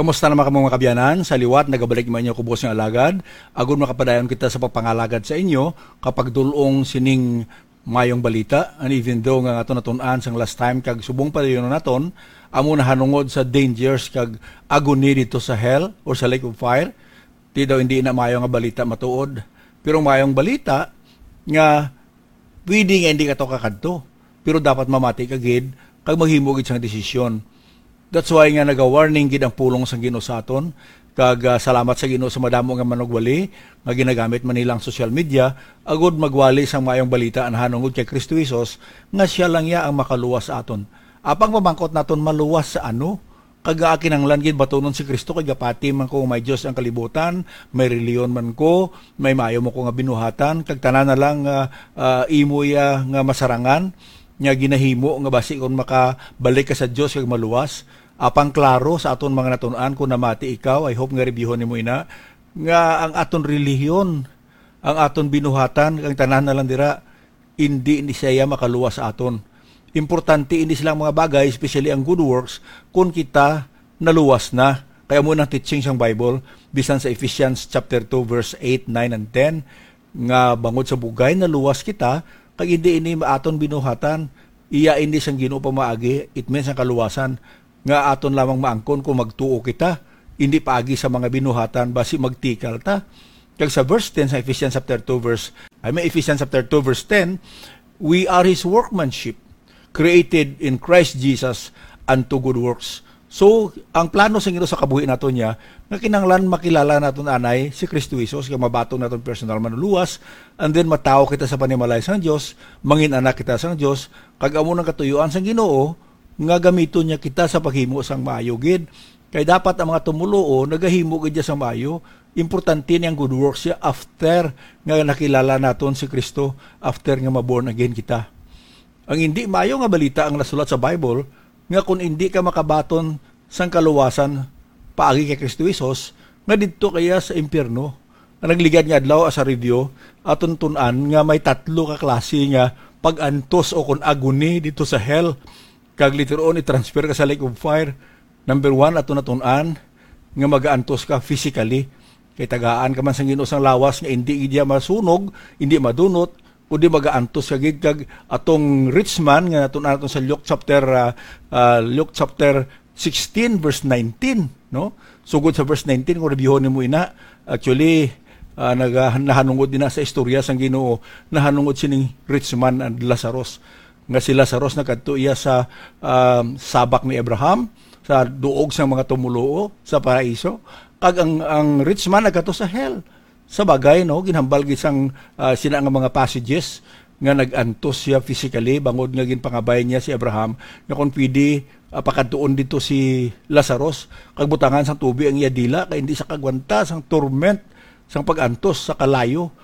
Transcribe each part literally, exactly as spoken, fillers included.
Kumusta naman kamo, mga kabyanan? Sa liwat, nagabalik man inyo kubos nga alagad. Agud makapadayon kita sa pagpangalagad sa inyo, kapag dul-ong sining mayong balita. And even though nga aton natun-an sang last time kag subong pa dayon naton, amo nahanungod sa dangers kag agony dito sa hell or sa lake of fire, di daw hindi na mayo nga balita matuod. Pero mayong balita nga pwede nga hindi ka to kakadto, pero dapat mamati ka gid kag maghimo gid sang desisyon. That's why nga naga-warning gid ang pulong sang Ginoo sa aton, kag, ah, salamat sa Ginoo sa madamo nga manugwali nga ginagamit man nila ang social media agud magwali sang maayong balita nahanungod kay Kristo Jesus, nga siya lang iya ang makaluwas sa aton. Apang pamangkot naton, maluwas sa ano? Kag nga kinahanglan gid batunon si Kristo, kay gapati man ko may Dios ang kalibutan, may reliyon man ko, may maayo man ko nga binuhatan, kag tanan na lang nga, ah, imo iya nga masarangan, nga ginahimo nga basi kon makabalik ka sa Dios kag maluwas. Apang klaro sa aton mga natun-an, kung namati ikaw, I hope nga reviewon nimo ina, nga ang aton relihiyon, ang aton binuhatan, ang tanan na lang dira, indi ni siya makaluwas sa aton. Importante ini silang mga bagay, especially ang good works, kung kita naluwas na. Kaya mo nang teaching sang Bible, bisan sa Ephesians chapter two, verse eight, nine, and ten, nga bangod sa bugay naluwas kita, kag hindi ini aton binuhatan, iya ini sang Ginoo pamaagi, it means ang kaluwasan, nga aton lamang maangkon kung magtuo kita, hindi paagi sa mga binuhatan, basi magtikal ta. Kag sa verse ten sa Ephesians chapter two, verse, I mean, Ephesians chapter two, verse ten, "We are His workmanship, created in Christ Jesus unto good works." So, ang plano sa Ginoo sa kabuhi naton niya, nga kinahanglan makilala naton anay si Kristo Jesus, nga mabaton naton personal manluwas, and then matawo kita sa panimalay sang Dios, mangin anak kita sang Dios, kag amo nang katuyuan sang Ginoo, nga gamiton niya kita sa paghimo sang maayo gid. Kay dapat ang mga tumuluo nagahimo gid niya sa maayo. Importante ni ang good works siya after nga nakilala naton si Kristo, after nga ma-born again kita. Ang hindi maayo nga balita ang nasulat sa Bible, nga kung hindi ka makabaton sang kaluwasan paagi kay Kristo Jesus, nga didto kaya sa impyerno. Ang nagligad nga adlaw, as a review, aton tun-an nga may tatlo ka klase nga pag-antos o kon agony dito sa hell. Kag later on, i-transfer ka sa lake of fire. Number one, ato natun-an nga magaantos ka physically. Kay tagaan ka man sang Ginoo sang lawas nga indi gid iya masunog, indi madunot, kundi magaantos ka gid. Kag atong rich man nga natun-an naton sa Luke chapter, ah, ah, Luke chapter sixteen, verse nineteen, no? Sugod sa verse nineteen, kung reviewon nimo ina, actually, ah, naga-, nahanungod din na sa istorya sang Ginoo, nahanungod sining rich man and Lazarus. Nga si Lazarus nagkadto iya sa, um, sabak ni Abraham, sa duog sang mga tumuluo sa paraiso, kag ang, ang rich man nagkadto sa hell. Sa bagay, no, ginhambal gid sang, ah, sina nga mga passages nga nag-antos siya physically, bangod nga ginpangabay niya si Abraham nga kung pwede, ah, pakadtuon dito si Lazarus, kag butangan sang tubig ang iya dila, kay hindi sa kagwanta sang torment sang pag-antos sa kalayo.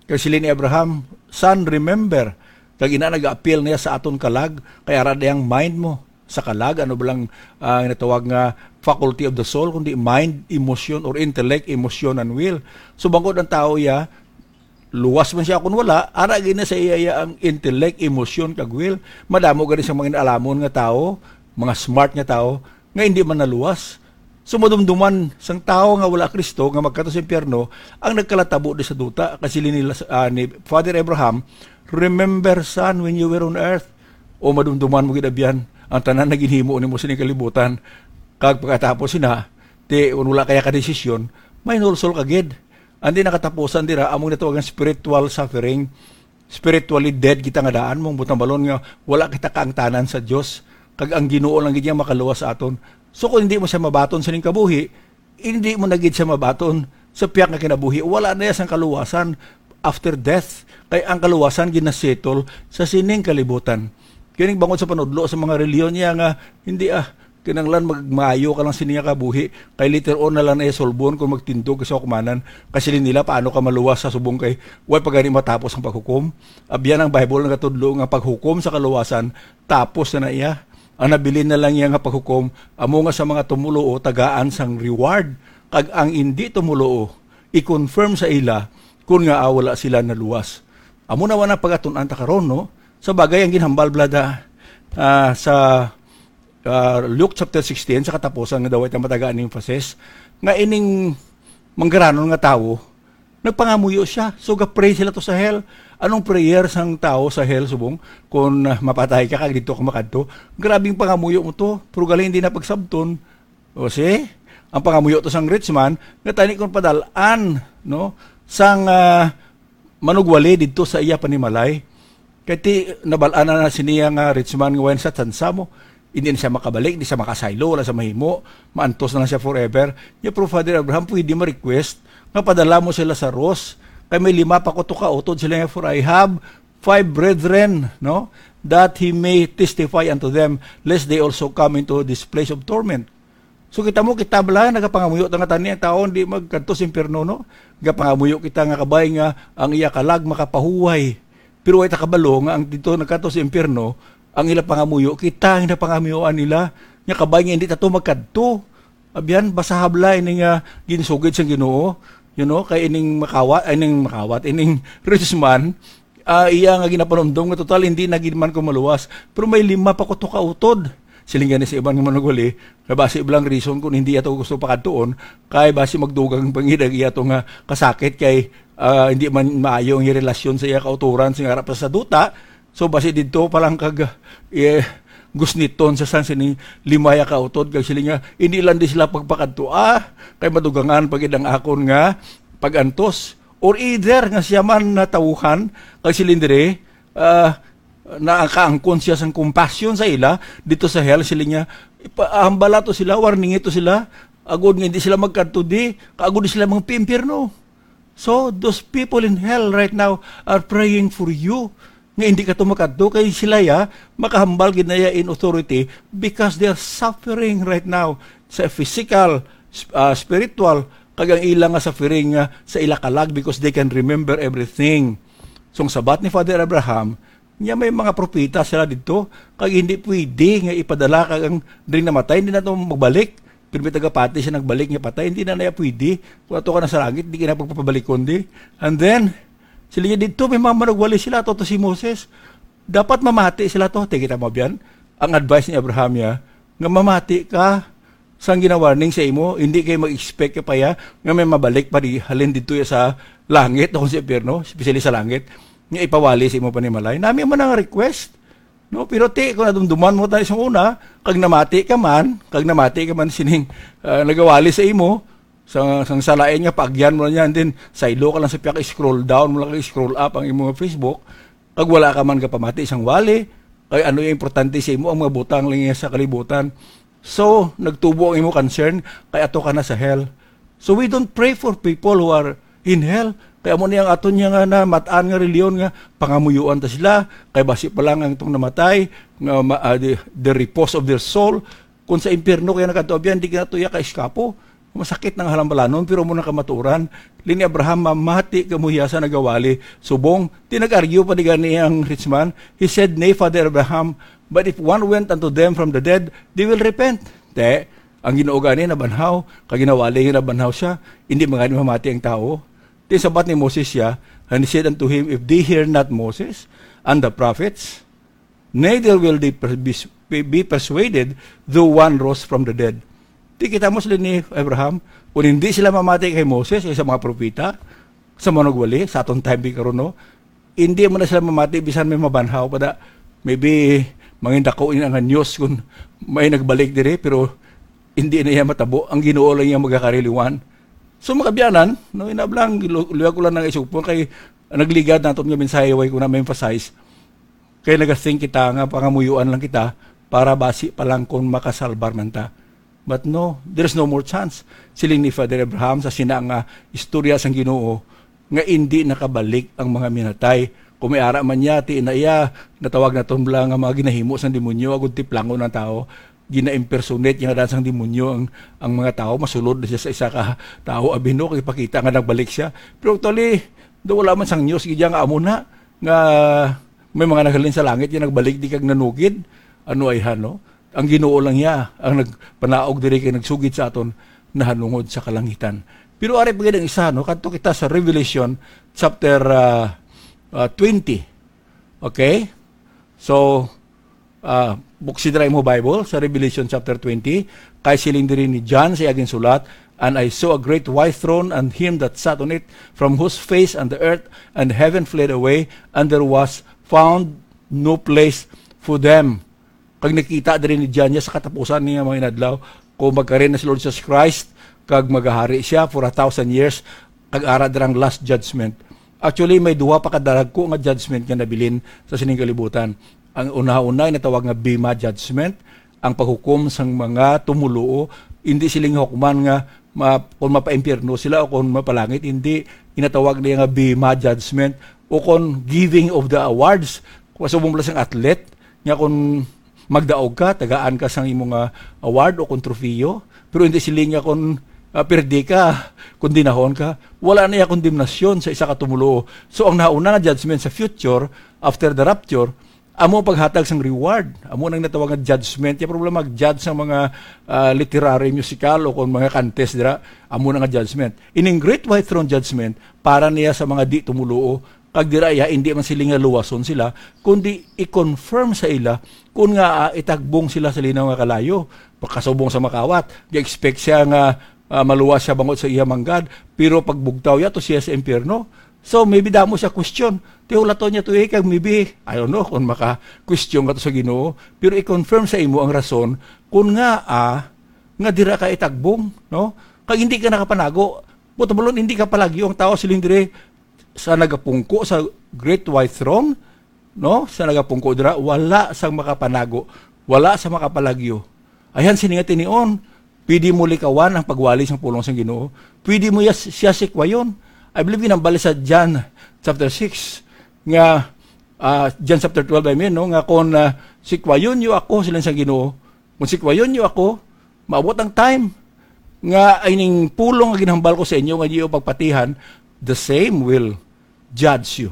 Kag siling ni Abraham, "Son, remember." Kag ina, nag-appeal niya sa aton kalag, kay ara dayang mind mo sa kalag, ano ba lang, ah, natawag nga faculty of the soul, kundi mind, emotion, or intellect, emotion, and will. So, bangod ang tao iya, luwas man siya kung wala, ara gid na sa iya, iya ang intellect, emotion, kag will. Madamo gani sa mga alamon nga tao, mga smart nga tao, nga hindi man naluwas. So, madumduman sang tawo nga wala Kristo nga magkadto sa impyerno ang nagkalatabo di sa duta. Kasi ni, ah, ni Father Abraham, "Remember, son, when you were on earth." O madumduman mo gid, abyan, ang tanan na ginhimo nimo sining kalibutan. Kag pagkatapos sina, ti, kung wala kaya ka desisyon, may nulsol ka gid. Ang di nakatapusan dira, among natawagan spiritual suffering. Spiritually dead kita nga daan, mong butambalon nga wala kita kaangtanan sa Dios, kag ang Ginoo lang gid ang makaluwas sa aton. So, kung hindi mo siya mabaton sining kabuhi, hindi mo na gid siya mabaton sa piyak nga kinabuhi. Wala na iya sang kaluwasan after death, kay ang kaluwasan ginasettle sa sining kalibutan. Kining bangod sa panudlo sa mga relihiyon niya nga, hindi, ah, kinahanglan magmaayo ka lang sini nga kabuhi, kay later on na lang na iya sulbon kung magtindog ka sa hukmanan. Kasi nila, paano ka maluwas sa subong kay way pa gani matapos ang paghukom? Abyan, ang Bible nagatudlo nga paghukom sa kaluwasan tapos na na iya. Ang nabilin na lang iya nga paghukom, amo nga sa mga tumuluo tagaan sang reward, kag ang indi tumuluo, i-confirm sa ila kun nga, ah, wala sila naluwas. Amo na wala pagatun-an ta karon, no? Sa bagay, ang ginhambal, blada, ah, sa ah, Luke chapter sixteen, sa katapusan nga daw ita matagaan ni emphasis, nga ining manggaranon nga tawo, nagpangamuyo siya. So, ga-pray sila to sa hell. Anong prayer sang tawo sa hell, subong? Kung, ah, mapatay ka, kag dito ka makadto. Grabing pangamuyo mo to. Pero gali hindi na pagsabton. O, see? Ang pangamuyo to sang rich man, nga tani kung padalaan, no? Sang, ah, manugwali didto sa iya panimalay. Kay ti, nabal-an na, na siniya nga rich man nga wala sa tsansa mo. Hindi na siya makabalik, hindi siya makasaylo, wala sa mahimo. Maantos na lang siya forever. Niya, pero Father Abraham, pwede ma-request nga padala mo sila sa Ross. Kay may lima pa ko to ka utod sila nga, "For I have five brethren, no, that he may testify unto them, lest they also come into this place of torment." So, kita mo, kita bala, nagapangamuyo ta nga tani ang tawo, hindi magkadto sa impyerno, no? Nagapangamuyo kita nga kabay nga ang iya kalag makapahuway. Pero way ta kabalo nga ang dito nagkadto sa impyerno, ang ila pangamuyo, kita ang napangamuyoan nila. Nga kabay nga hindi ta to magkadto. Abyan, basta habla ini nga ginsugid sang Ginoo, you know, kay ining makawat, ay, ining makawat, ining rich man, ah, iya nga ginapanumdom nga total hindi na gid man ko maluwas. Pero may lima pa ko to ka utod. Siling gani sa iban nga manugwali, nga basi bala ang reason kung hindi ato gusto pakadtuon, kay basi magdugang pangidang iya to nga kasakit kay, ah, hindi man maayo ang relasyon sa iya kauturan sa harap sa duta. So, basi didto pa lang kag, eh, gusniton sa sang sining lima ya ka utod, kag siling nga, "Hindi lang di sila pagpakadto, ah, kay madugangan pa gid ang akon nga pag-antos." Or either nga siya man natawuhan, kag siling diri, ah, nakaangkon siya sang compassion sa ila, dito sa hell, siling niya, "Ipa-, hambala to sila, warningi to sila, agod nga hindi sila magkadto di, kag agod di sila magpimpyerno." So, those people in hell right now are praying for you. Nga hindi ka to makadto kay sila ya, makahambal gid na ya in authority because they are suffering right now sa physical, sp-, ah, spiritual, kag ang ila nga suffering nga sa ila kalag because they can remember everything. So, ang sabat ni Father Abraham, niya may mga propeta sila didto, kag hindi pwede nga ipadala kag ang diri namatay, hindi na to magbalik. Pero may tagapati siya nagbalik nga patay, hindi na naya pwede. Kung ato ka na sa langit, di ka na pagpapabalikon di. And then, sila niya didto, may mga manugwali sila, ato to si Moses. Dapat mamati sila to. Te, kita mo biyan? Ang advice ni Abraham ya, nga mamati ka sang ginawarning sa imo, hindi kay mag-expect ka pa ya, nga may mabalik pa di, halin didto ya sa langit o sa impyerno, especially sa langit, nga ipawali sa imo panimalay. Nami man ang request. No, pero ti, kung nadumduman mo tayo sa una, kag namati ka man, kag namati ka man sining, ah, nagawali sa imo, sa, sang salain nga paagyan mo lang yan, then saylo ka lang sa pihak, scroll down mo lang, scroll up ang imo nga Facebook, kag wala ka man kapamati sang wali, kay ano yung importante sa imo, ang mga butang lang yan sa kalibutan. So, nagtubo ang imo concern, kay ato ka na sa hell. So, we don't pray for people who are in hell. Kay amo ni ang aton niya nga namat-an nga reliyon nga pangamuyuan ta sila, kay basi pa lang ang itong namatay, nga ma-, ah, the, the repose of their soul. Kung sa impyerno kaya nagkatuabyan, di ka na tuya ka iskapo. Masakit nang halambalanon, pero mo na kamaturan. Lini Abraham, mamati ka mo hiya sa nagawali. Subong, tinag-argue pa di gani ang rich man. He said, "Nay, Father Abraham, but if one went unto them from the dead, they will repent." Te, ang Ginoo gani nabanhaw, kag ginawali nga nabanhaw siya, hindi man gani mamati ang tawo. Ti sabat ni Moses siya, and he said unto him, "If they hear not Moses and the prophets, neither will they per-, be, be persuaded though one rose from the dead." Ti kita mo sila ni Abraham, kung hindi sila mamati kay Moses, kay sa mga propeta, sa manugwali, sa aton time di karon, no? Hindi mo na sila mamati, bisan may mabanhaw pa da. Maybe, mangin dako ini nga news kung may nagbalik diri, pero hindi na iya matabo. Ang Ginoo lang iya magakariluan. So, mga kabyanan, no, inablang, lu-, luyag ko lang nang isugpon kay nagligad naton nga mensahe, way ko na ma-emphasize. Kay nagathink kita nga pangamuyuan lang kita para basi pa lang kung makasalbar man ta. But no, there's no more chance. Siling ni Father Abraham sa sina nga istorya sang Ginoo nga indi nakabalik ang mga minatay. Kung may ara man niya, ti na iya, natawag naton bala nga mga ginahimo sang demonyo, agud tiplangon ang tawo. Gina-impersonate niya nga daan sang demonyo ang, ang mga tawo. Masulod na siya sa isa ka tawo, abi, no, kay pakita nga nagbalik siya. Pero actually, do wala man sang news, gid nga amo na, nga may mga naghalin sa langit, nga nagbalik di kag nanugid. Ano ay han, no? Ang Ginoo lang niya ang nagpanaog diri kay nagsugid sa aton nahanungod sa kalangitan. Pero ari pa gid ang isa, no? Kadto kita sa Revelation chapter, ah, ah, twenty. Okay? So, ah, Buksi dira imo Bible sa Revelation chapter twenty, kay siling diri ni John sa iyang ginsulat, "And I saw a great white throne, and him that sat on it, from whose face and the earth and heaven fled away, and there was found no place for them." Kag nakita diri ni John niya sa katapusan niya mga inadlaw, kung magkarin na si Lord Jesus Christ, kag magahari siya for a thousand years, kag ara dirang last judgment. Actually, may duha pa ka daragko nga judgment nga nabilin sa sining kalibutan. Ang una-una, inatawag nga Bema Judgment, ang paghukom sang mga tumuluo. Hindi sila nga hukman nga ma-, kung mapaimpyerno sila o kung mapalangit, hindi. Inatawag niya nga Bema Judgment o kung giving of the awards. Kung subong pala sang athlete, nga kung magdaog ka, tagaan ka sang imo nga award o kung trofeo. Pero hindi sila nga kung, ah, pirdi ka, kondenahon ka. Wala na iya kondemnasyon sa isa ka tumuluo. So, ang nauna nga judgment sa future, after the rapture, amo paghatag sang reward. Amo nang natawag nga judgment. Yung problema, judge sang mga, ah, literary, musical, o kung mga contest dira, amo na nga judgment. Ining Great White Throne Judgment, para niya sa mga di tumuluo, kag dira iya, hindi man sila nga luwason sila, kundi i-confirm sa ila kun nga, ah, itagbong sila sa linaw nga kalayo. Pagkasubong sa makawat, ga-expect siya nga, ah, maluwas siya bangod sa iya manggad, pero pagbugtaw niya to siya sa impyerno. So, maybe damo siya question. Tihulaton niya to, eh, kag maybe, I don't know kung maka-question ka to sa Ginoo, pero i-confirm sa imo ang rason kun nga, ah, nga dira ka itagbong, no? Kag hindi ka nakapanago. Buot silingon, hindi ka palagyo. Ang tao siling diri sa nagapungko sa Great White Throne, no? Sa nagapungko dira, wala sang makapanago, wala sa makapalagyo. Ayan, sini nga tinion, pwede mo likawan ang pagwali sang pulong sang Ginoo. Pwede mo ya-, siya sikwayon. I believe ginambal sa John chapter six, nga, ah, John chapter twelve, I mean, no? Nga kung, ah, sikwayon niyo ako, siling sang Ginoo, kung sikwayon niyo ako, maabot ang time nga ining pulong nga ginhambal ko sa inyo nga inyo pagpatihan, the same will judge you.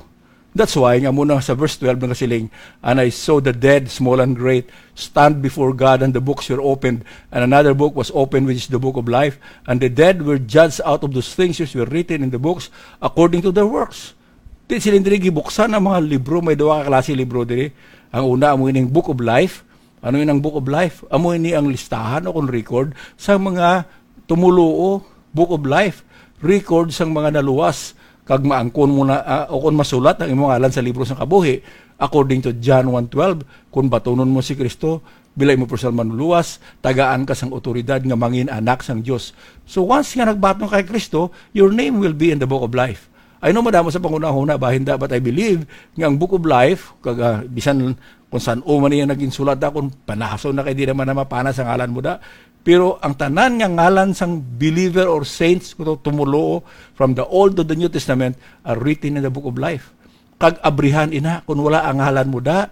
That's why nga muna sa verse twelve nagasiling, "And I saw the dead, small and great, stand before God, and the books were opened, and another book was opened, which is the book of life. And the dead were judged out of those things which were written in the books according to their works." Di sila diri gibuksan ang mga libro, may duha ka klase libro diri. Ang una, amo ining Book of Life. Ano yun ang Book of Life? Amo ini ang listahan o kung record sa mga tumuluo, Book of Life, record sang mga naluwas, kag maangkon mo na, ah, o kung masulat ang imong ngalan sa libro sang kabuhi, according to John one twelve, kung batunon mo si Kristo bilang imo personal manluwas, tagaan ka sang otoridad nga mangin anak sang Dios. So once nga nagbaton ka kay Kristo, your name will be in the Book of Life. I know madamo sa panghunahuna, bahin da, but I believe nga ang Book of Life, kag, ah, bisan kung san-o man niya naging sulat da, kung panason na kay di naman na mapana sa ngalan mo da. Pero ang tanan nga ngalan sang believer or saints, kuno tumuluo, from the Old to the New Testament, are written in the Book of Life. Kag abrihan ina, kung wala ang ngalan mo da,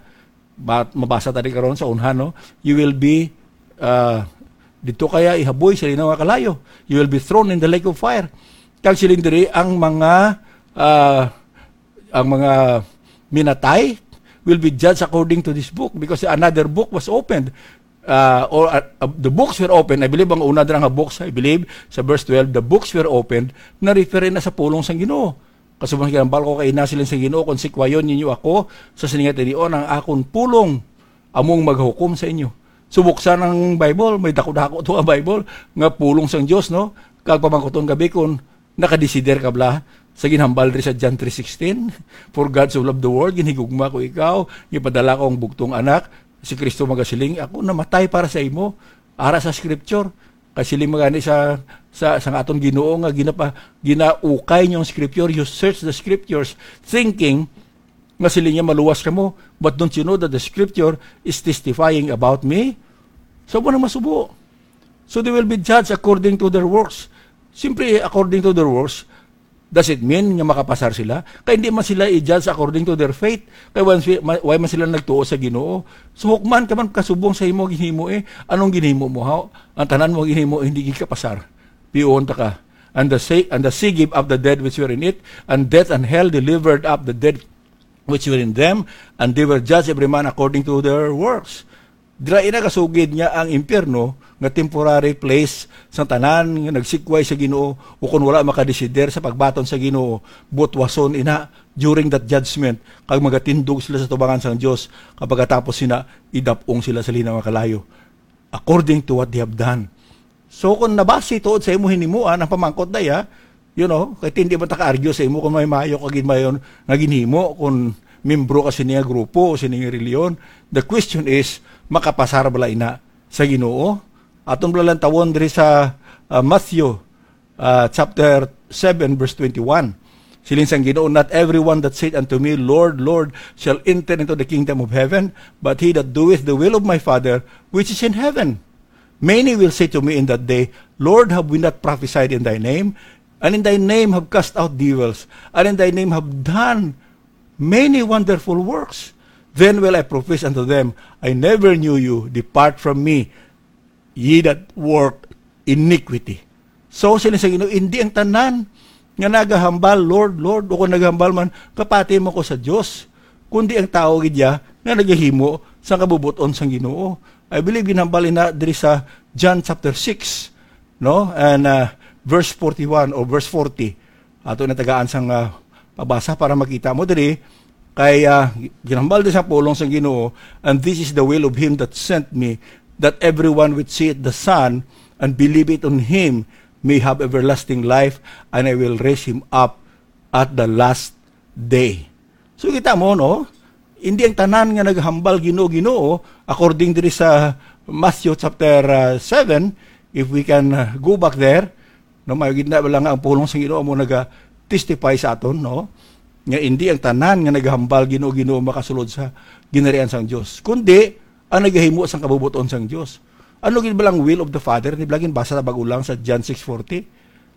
ba-, mabasa tadi karon sa unhan, no? You will be, ah, dito kaya ihaboy sa linaw nga kalayo. You will be thrown in the lake of fire. Kag siling diri ang mga, ah, ang mga minatay will be judged according to this book, because another book was opened. Uh, or, uh, uh, the books were opened. I believe ang una dira nga books, I believe, sa verse twelve, the books were opened, na-refer na sa pulong sang Ginoo. Kasubang ginambal ko kay ina siling sa Ginoo, "Kung sikwayon ninyo ako sa sining nga tinion, ang akon pulong among maghukom sa inyo." So, buksan ang Bible, may dako-dako to ang Bible, nga pulong sang Dios, no? Kag pamangkuton gabi kung nakadesider ka bala sa ginhambal diri sa John three sixteen, "For God so loved the world, ginhigugma ko ikaw, gipadala ko ang bugtong anak." Si Kristo magasiling, "Ako namatay para sa imo." Ara sa scripture, kay siling man gani sa, sa, sa aton Ginoo nga ginapa-, ginaukay niyo ang scripture, you search the scriptures, thinking nga siling niya, "Maluwas kamo, but don't you know that the scripture is testifying about me?" So, mo na masubo. So, they will be judged according to their works. Simply according to their works, does it mean nga makapasar sila? Kay hindi man sila i-judge according to their faith. Kay why, why man sila nagtuo sa Ginoo? So, hukman ka man kasubong sa imo ginhimo, eh. Anong ginhimo mo, ha? Ang tanan mo ginhimo, hindi gid kapasar. Piyon ta ka. "And the sea, and the sea gave up the dead which were in it, and death and hell delivered up the dead which were in them, and they were judged every man according to their works." Dira ina gasugid nga ang impyerno nga temporary place sa tanan nga nagsikway sa Ginoo, o kon wala makadesider sa pagbaton sa Ginoo, butwason ina during that judgment, kag magatindog sila sa tubangan sang Dios, kag pagkatapos sina, idap-ong sila sa linaw nga kalayo, according to what they have done. So, kung nabasi tuod sa imo hinimuan ang pamangkot daya, you know, kay hindi man ta ka-argue sa imo kung may maayo ka gid mayon nga ginhimo, kung membro ka sini nga grupo o sini nga reliyon. The question is, makapasar bala ina sa Ginoo? Aton bala lang tawon diri sa, ah, Matthew, ah, chapter seven, verse twenty-one. Siling sang Ginoo, "Not everyone that saith unto me, 'Lord, Lord,' shall enter into the kingdom of heaven, but he that doeth the will of my Father which is in heaven." Many will say to me in that day, 'Lord, have we not prophesied in thy name? And in thy name have cast out devils, and in thy name have done many wonderful works.' Then will I profess unto them, 'I never knew you. Depart from me, ye that work iniquity.'" So, sila sa Ginoo, hindi ang tanan nga nagahambal, "Lord, Lord," o kung nagahambal man, "Kapati mo ko sa Dios," kundi ang tawo gid ya nga nagahimo sa kabubuton sang Ginoo. I believe ginhambal ina diri sa John chapter six, no? And, uh, verse forty-one or verse forty. Ato na tagaan sang, uh, pabasa para makita mo diri. Kay, uh, ginhambal din sa pulong sang Ginoo, "And this is the will of him that sent me, that everyone which seeth the Son and believeth on him may have everlasting life, and I will raise him up at the last day." So, kita mo, no? Hindi ang tanan nga naghambal, "Ginoo, Ginoo," according diri sa Matthew chapter, uh, seven, if we can, uh, go back there, no, may gid na lang ang pulong sa Ginoo mo naga-testify sa aton, no? Nga hindi ang tanan nga naghambal, "Ginoo, Ginoo," makasulod sa ginharian sang Dios, kundi ang nagahimo sang kabubuton sang Dios. Ano gid ba lang will of the Father? Di ba gid basa ta bag-o lang sa John six forty?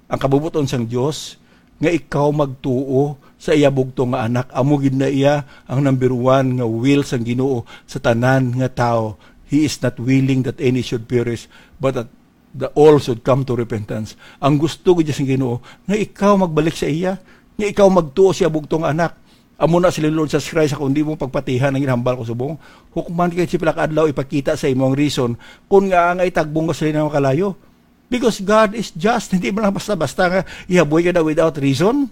Ang kabubuton sang Dios, nga ikaw magtuo sa iya bugtong nga Anak. Amo gid na iya ang number one nga will sang Ginoo sa tanan nga tawo. He is not willing that any should perish, but that the all should come to repentance. Ang gusto gid sang Ginoo, nga ikaw magbalik sa iya, nga ikaw magtuo sa iya bugtong nga Anak. Amo na sila, "Lord Jesus Christ, ako hindi mo pagpatihan ang ginhambal ko subong. Hukman kay sa pila ka adlaw ipakita sa imo ang reason kung nga ang itagbong ka sa linaw nga kalayo." Because God is just, hindi man lang basta-basta nga ihaboy ka na without reason.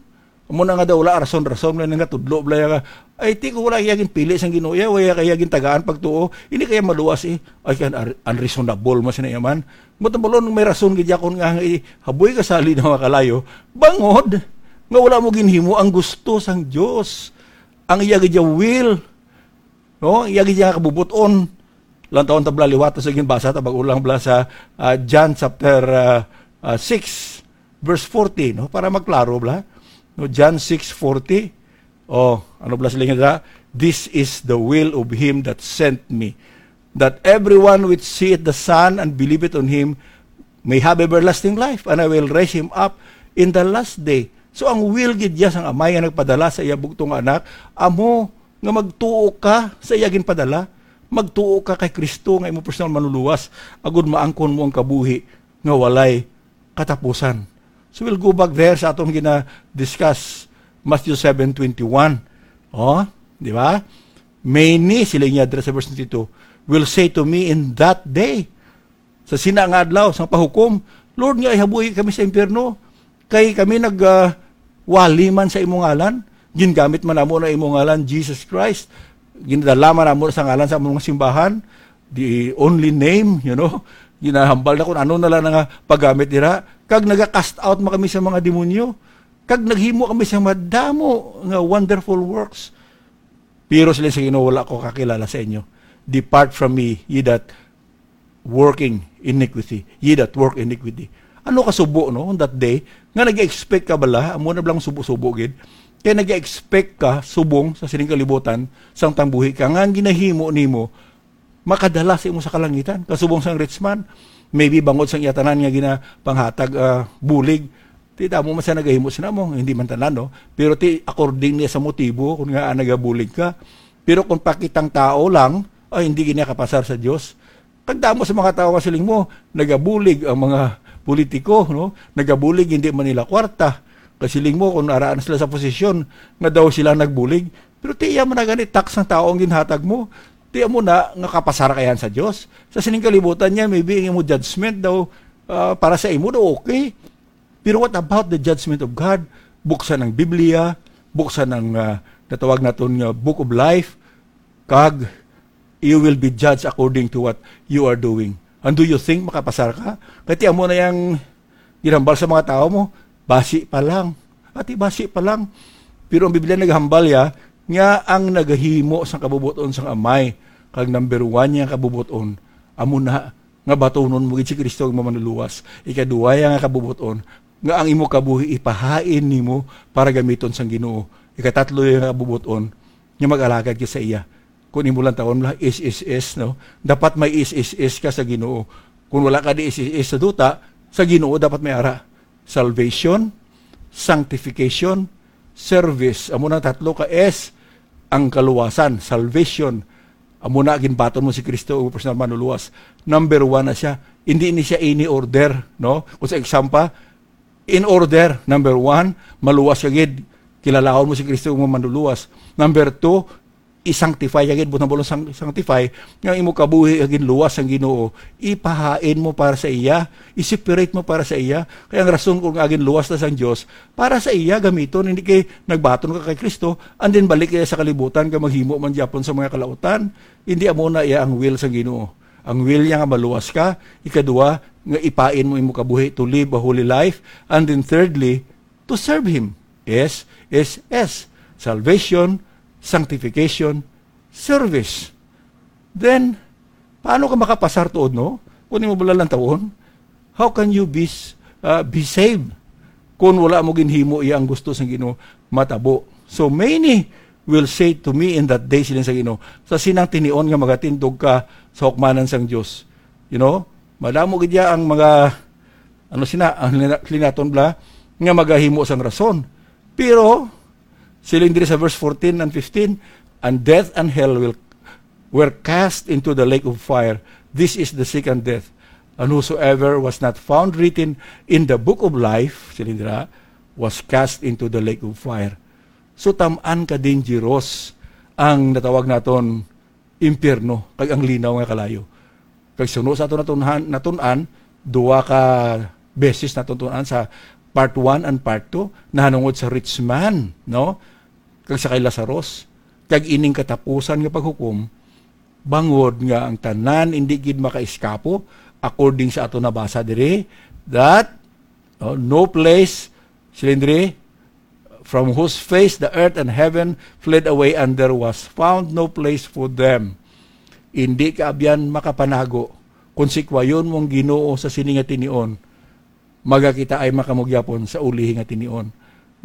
Amo na nga daw, wala rason-rason, wala nga tudlo, wala nga, ay, ti ko wala iya ginpili sang Ginoo, iya, wala kaya gintagaan pagtuo, hindi kaya maluwas, eh. Ay, kan ar-, unreasonable man sina iya man. Matambalon, may rason gid yakon nga, nga ihaboy ka sa linaw nga kalayo, bangod nga wala mo ginhimo ang gusto sang Dios, ang iya gid iya will, no? Iya gid iya nga kabubuton. Lang taon tabla liwat sa ginbasa ta bag-o lang bala sa, ah, John chapter, ah, ah, six, verse forty, no? Para magklaro bala. No, John six forty. Oh, ano bala sila nga, "This is the will of him that sent me, that everyone which seeth the Son and believeth on him may have everlasting life, and I will raise him up in the last day." So, ang will gid iya sang Amay nga nagpadala sa iya bugtong nga Anak, amo nga magtuo ka sa iya ginpadala, magtuo ka kay Kristo nga imong personal manluluwas, agud maangkon mo ang kabuhi nga walay katapusan. So, we'll go back there sa atong gina-discuss, Matthew seven twenty-one. Oh, di ba? "Many," sila niya dira sa verse twenty-two, "will say to me in that day," sa sina nga adlaw sang pahukom, "Lord, nga ihabuhi kami sa impyerno, kay kami nag, ah, wali man sa imong ngalan, gingamit man namo na imong ngalan, Jesus Christ, ginadala man namo sa ngalan sa among mga simbahan, the only name, you know, ginahambal na kung ano na lang nga paggamit dira, kag naga-cast out man kami sa mga demonyo, kag naghimo kami sa madamo nga wonderful works." Pero sila sa Ginoo, "Wala ko kakilala sa inyo. Depart from me, ye that working iniquity, ye that work iniquity." Ano ka subo, no, on that day? Nga nag-expect ka bala? Amo na bala ang subo-subo gid. Kay nag-expect ka subong sa sining kalibutan, sang tangbuhi ka, nga ang ginahimo nimo makadala sa imo sa kalangitan. Kasubong sang rich man, maybe bangod sang iya tanan nga ginapanghatag, ah, bulig, ti damo man sa nagahimo sina mo, hindi man tanan, no? Pero ti according niya sa motibo, kung nga, ah, nagabulig ka. Pero kung pakitang tao lang, ay, hindi gid niya kapasar sa Dios. Kag damo sa mga tawo nga siling mo, nagabulig ang mga politiko, no? Nagabulig, hindi man nila kwarta. Kasiling mo, kung araan sila sa posisyon, nga daw sila nagbulig. Pero ti iya man na gani, tax ng tao ang ginhatag mo. Ti amo na nga kapasar ka yan sa Dios. Sa sining kalibutan niya, maybe ang imo judgment daw, ah, para sa imo daw okay. Pero what about the judgment of God? Buksan ang Biblia, buksan ang, ah, natawag naton nga Book of Life, kag you will be judged according to what you are doing. And do you think makapasar ka? Kay ti amo na yang ginhambal sa mga tawo mo, basi pa lang. Ati, basi pa lang. Pero ang Biblia naghambal ya nga ang nagahimo sang kabubuton sang Amay kag number one niya kabubuton, amo na nga batunon mo gid si Kristo ang manluluwas. Ikaduha ya nga kabubuton, nga ang imo kabuhi ipahain nimo para gamiton sang Ginoo. Ikatatlo ya nga kabubuton, nga mag-alagad ka sa iya. Kung imo lang tawon lang, S S S, no? Dapat may S S S ka sa Ginoo. Kung wala ka di S S S sa duta, sa Ginoo dapat may ara. Salvation, sanctification, service. Amo nang tatlo ka S, ang kaluwasan, salvation. Amo na, ginbaton mo si Kristo, ang personal manluluwas. Number one na siya. Hindi ni siya ini order, no? Kung sa exam pa, in order, number one, maluwas ka gid, kilalahon mo si Kristo, ang manluluwas. Number two, i-sanctify ka gid, butang balon sang-, sanctify, nga imo kabuhi nga ginluwas sang Ginoo, ipahain mo para sa iya, i-separate mo para sa iya. Kaya ang rason kung nga ginluwas na sang Dios, para sa iya gamiton, hindi kay nagbaton ka kay Kristo, and then balik ka sa kalibutan, ka maghimo man gyapon sa mga kalautan. Hindi amo na iya ang will sang Ginoo. Ang will niya nga maluwas ka, ikaduha, nga ipain mo imo kabuhi to live a holy life, and then thirdly, to serve Him. S, S, S. Salvation, sanctification, service. Then, paano ka makapasar tuod, no? Kung imo bala lang tawon, how can you be, s- uh, be saved kung wala mo ginhimo iya ang gusto sang Ginoo matabo? So many will say to me in that day, siling sa Ginoo, sa sinang tinion nga magatindog ka sa hukmanan sang Dios. You know, madamo gid ya ang mga, ano sina, ang lina- linaton bala, nga magahimo sang rason. Pero, siling diri sa verse fourteen and fifteen, "And death and hell will, were cast into the lake of fire. This is the second death. And whosoever was not found written in the book of life," siling dira, "was cast into the lake of fire." So, tam-an ka dangerous ang natawag naton impyerno, kag ang linaw nga kalayo. Kag suno sa aton natun-an, natun-an, duha ka beses natun-an sa part one and part two, nahanungod sa rich man, no? Kag sa kay Lazarus. Kag ining katapusan nga paghukom, bangod nga ang tanan indi gid makaiskapo, according sa aton nabasa diri, that, oh, no place, siling diri, "From whose face the earth and heaven fled away, and there was found no place for them." Indi ka abyan makapanago. Kung sikwayon mo ang Ginoo sa sini nga tinion, magakita ay makamugyapon sa ulihi nga tinion.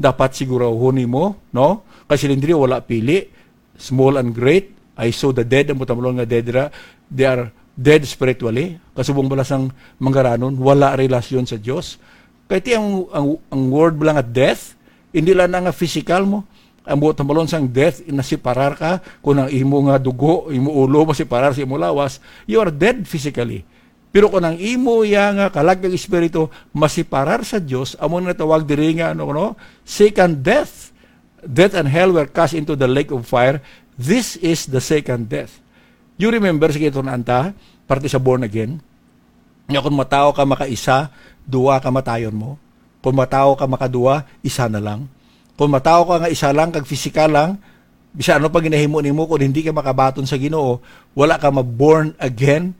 Dapat sigurahon nimo, no? Kay siling diri, wala pili, small and great. I saw the dead, ang butamlon nga dead ra, they are dead spiritually. Kasubong bala sang manggaranon, wala relasyon sa Dios. Kay ti ang, ang, ang word bala nga death, hindi lang na nga physical mo. Ang buot hambalon sang death, nasiparar ka, kung ang imo nga dugo, imo ulo, masiparar sa imo lawas, you are dead physically. Pero kung ang imo ya nga kalag kag espiritu masiparar sa Dios, amo na tawag diri nga, ano, no? Second death. Death and hell were cast into the lake of fire. This is the second death. You remember, sige, ito na anta, parte sa born again, nga kung matawo ka makaisa, duwa ka matayon mo. Kung matawo ka makaduwa, isa na lang. Kung matawo ka nga isa lang, kag pisikal lang, bisan ano pa ginahimo nimo, kung hindi ka makabaton sa Ginoo, wala ka ma-born again.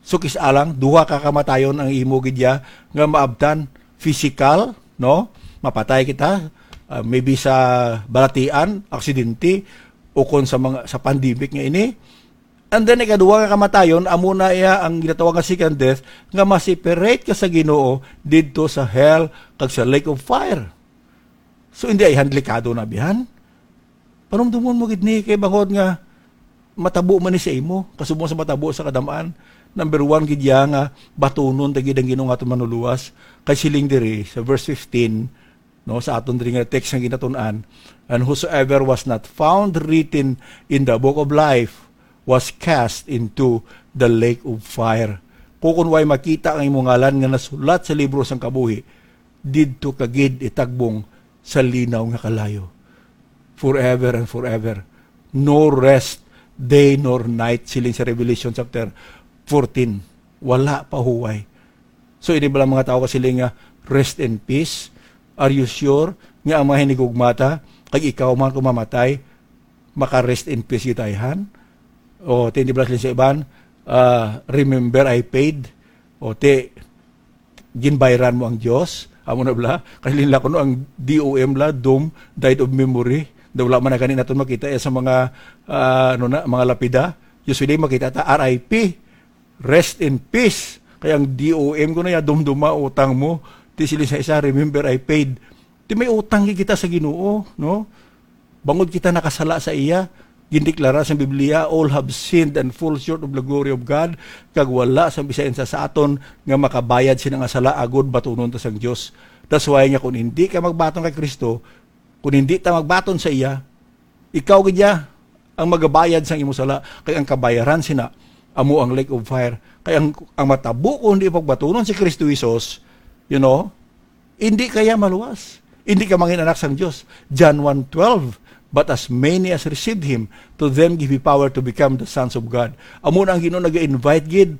So, kis-a lang, duha ka kamatayon ang imo gid ya nga maabtan. Physical, no? Mapatay kita, ah, maybe sa balatian, aksidente, o kon sa mga, sa pandemic nga ini. And then, ikaduha nga kamatayon, amo na iya ang ginatawag nga second death, nga ma-separate ka sa Ginoo didto sa hell kag sa lake of fire. So, hindi ay delikado na bihan. Panumdumon mo gid ni kay bangod nga matabo man ni sa imo, kasubong sa matabo sa kadam-an. Number one gid ya nga batunon ta gid ang Ginoo nga aton manluluwas. Kay siling diri sa verse fifteen, no, sa aton diri nga text nga ginatun-an, "And whosoever was not found written in the book of life was cast into the lake of fire." Kung, kung way makita ang imong ngalan nga nasulat sa libro sang kabuhi, didto ka gid itagbong sa linaw nga kalayo. Forever and forever. No rest, day nor night, siling sa Revelation chapter fourteen. Wala pa huway. So, ini bala mga tawo kasiling nga, "Rest in peace"? Are you sure nga ang mga hinigugmata, kag ikaw man kung mamatay, maka-rest in peace gid ta ayhan? O, ti, di ba siling sa iban, ah, "Remember, I paid"? O, ti, ginbayran mo ang Dios? Amo na bala? Kay linla kuno ang D O M la, doom, died of memory. Daw wala man na gani naton makita, eh, sa mga, ah, ano na, mga lapida. Usually, makita ta, R I P. Rest in peace. Kay ang D O M ko na ya, dumduma, utang mo. Ti siling sa isa, "Remember, I paid." Ti may utang gid kita sa Ginoo, no? Bangod kita nakasala sa iya, gindeklara sa Biblia, "All have sinned and fall short of the glory of God." Kag wala sa bisan sa, sa aton nga makabayad sina nga sala agod batunon ta sang Dios. That's why nga kung hindi ka magbaton kay Kristo, kung hindi ta magbaton sa iya, ikaw gid ya ang magabayad sang imo sala, kay ang kabayaran sina amo ang lake of fire. Kay ang, ang matabo kung hindi pagbatunon si Kristo Jesus, you know, hindi kaya maluwas. Hindi ka mangin anak sang Dios. John one twelve, "But as many as received him, to them give he power to become the sons of God." Amo na ang Ginoo nag-invite gid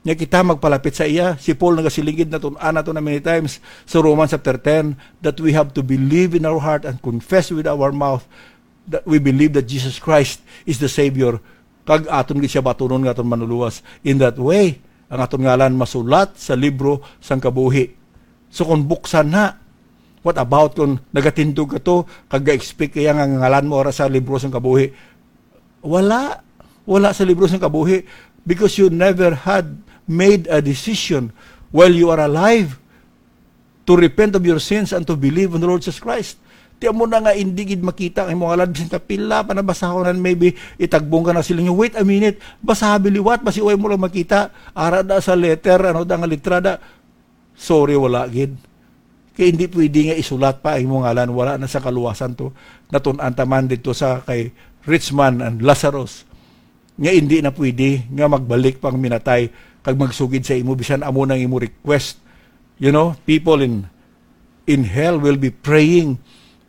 nga kita magpalapit sa iya. Si Paul nagasiling gid, natun-an nato na many times sa Romans chapter ten, that we have to believe in our heart and confess with our mouth that we believe that Jesus Christ is the Savior, kag aton gid siya batunon nga aton Manluluwas. In that way, ang aton ngalan masulat sa libro sang kabuhi. So kung buksan na, what about kung nagatindog ka to, kag ga-expect kaya nga ngalan mo ara sa libro sang kabuhi? Wala. Wala sa libro sang kabuhi, because you never had made a decision while you are alive to repent of your sins and to believe on the Lord Jesus Christ. Ti amo na nga hindi gid makita ang imong ngalan, bisan ka pila pa nabasahon, and maybe itagbong ka na sila nga, "Wait a minute, basaha liwat, basi way mo lang makita." Ara da sa letter, ano da nga litra da. Sorry, wala gid. Kay hindi pwede nga isulat pa ang imong ngalan, wala na sa kaluwasan to. Natun-an ta man didto sa kay rich man and Lazarus, nga hindi na pwede nga magbalik pang minatay kag magsugid sa imo, bisan amo nang imo request. You know, people in, in hell will be praying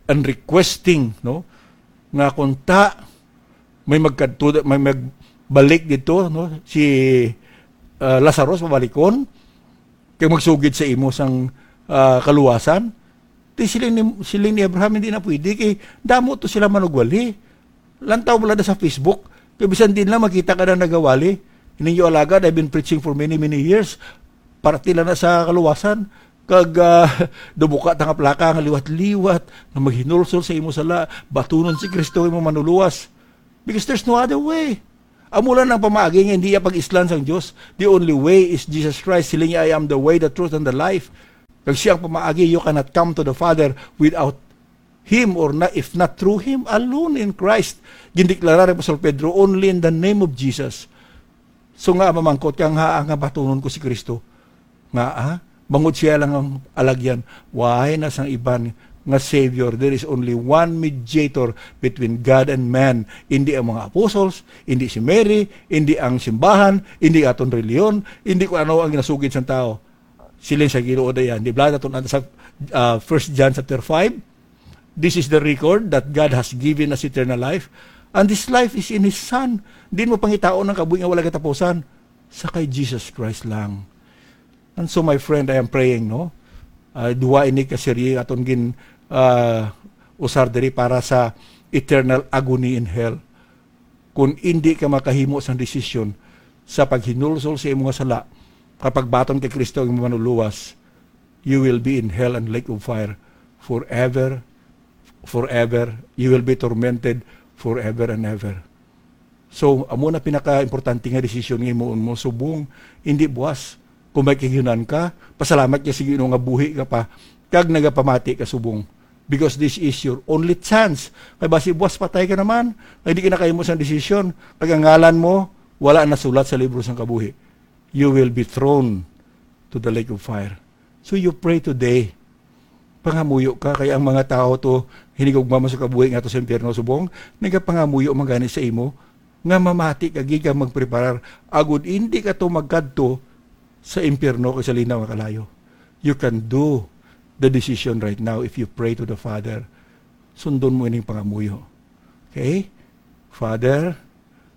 and requesting, no, nga kung ta may magkadto, may magbalik didto, no, si, ah, Lazarus, pabalikon, kay magsugid sa imo sang, ah, kaluwasan. Ti siling ni, siling ni Abraham, "Hindi na pwede, kay damo to sila manugwali. Lantaw mo lang sa Facebook, kay bisan din lang makita ka na nagawali. Ninyo alagad, I've been preaching for many, many years. Parte lang na sa kaluwasan. Kag, ah, dubuka ta nga plaka nga liwat-liwat, nga maghinulsol sa imo sala, batunon si Kristo imo manuluwas." Because there's no other way. Amo lang ang pamaagi nga hindi iya pag-islan sang Dios. The only way is Jesus Christ. Siling niya, "I am the way, the truth, and the life." Kag siya ang pamaagi, you cannot come to the Father without Him, or na, if not through Him alone in Christ. Gindeklara ni Apostol Pedro, "Only in the name of Jesus." So nga, mamangkot ka nga, "Nga batunon ko si Kristo?" Nga, ah, bangod siya lang ang alagyan. Why na sang iban nga Savior? There is only one mediator between God and man. Hindi ang mga apostles, hindi si Mary, hindi ang simbahan, hindi aton reliyon, hindi kung ano ang ginasugid sang tao. Siling sa Ginoo dayan. Di ba, naton sa, ah, First John chapter five, "This is the record that God has given us eternal life, and this life is in His Son." Di mo pangitaon ang kabuhi nga wala katapusan. Sa kay Jesus Christ lang. And so, my friend, I am praying, no? Ah, duha ini ka serye aton gin, ah, usar diri para sa eternal agony in hell. Kung indi ka makahimo sang desisyon sa paghinulsol sa imo nga sala, kapag baton kay Kristo ang imo manuluwas, you will be in hell and lake of fire forever, forever. You will be tormented forever and ever. So, amo na pinaka-importante nga desisyon nga himuon mo, subong, hindi buwas. Kung may kahiunan ka, pasalamat ka sa Ginoo nga buhi ka pa, kag nagapamati ka subong. Because this is your only chance. Kay basi buwas patay ka naman, kay di ka nakahimo sang desisyon, kag ang ngalan mo wala nasulat sa libro sang kabuhi. You will be thrown to the lake of fire. So you pray today. Pangamuyo ka, kay ang mga tawo to, hinigugma man sa kabuhi nga to sa impyerno subong, nagapangamuyo man gani sa imo, nga mamati ka gid kag magpreparar, agud indi ka to magkadto sa impyerno kag sa linaw nga kalayo. You can do the decision right now if you pray to the Father. Sundon mo ining pangamuyo. Okay? Father,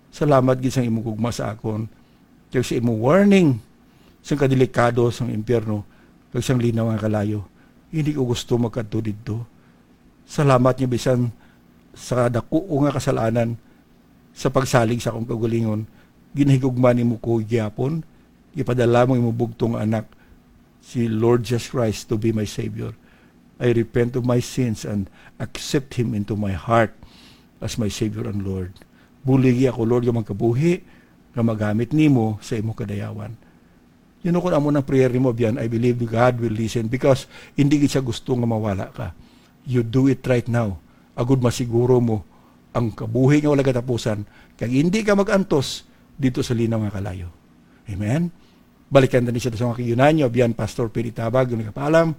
Salamat gid sang imong gugma sa akon, kag sa imong warning sang kadelikado sang impyerno, kag sang linaw nga kalayo. Hindi ko gusto magkadto didto. Salamat nga bisan sa dako ko nga kasalanan, sa pagsalig sa akong kaugalingon, ginahigugma nimo ko gihapon, ipadala mo imong bugtong nga anak, si Lord Jesus Christ, to be my Savior. I repent of my sins and accept Him into my heart as my Savior and Lord. Buligi ako, Lord, nga magkabuhi, nga magamit nimo sa imong kadayawan. You know, kung amo nang prayer nimo, biyan, I believe God will listen, because hindi gid siya gusto nga mawala ka. You do it right now, agud masiguro mo ang kabuhi nga wala katapusan, kag hindi ka mag-antos dito sa linaw nga kalayo. Amen? Balikan na ni siya sa mga kiyunan niyo, biyan, Pastor Pili Tabag, yung nagkapaalam.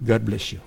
God bless you.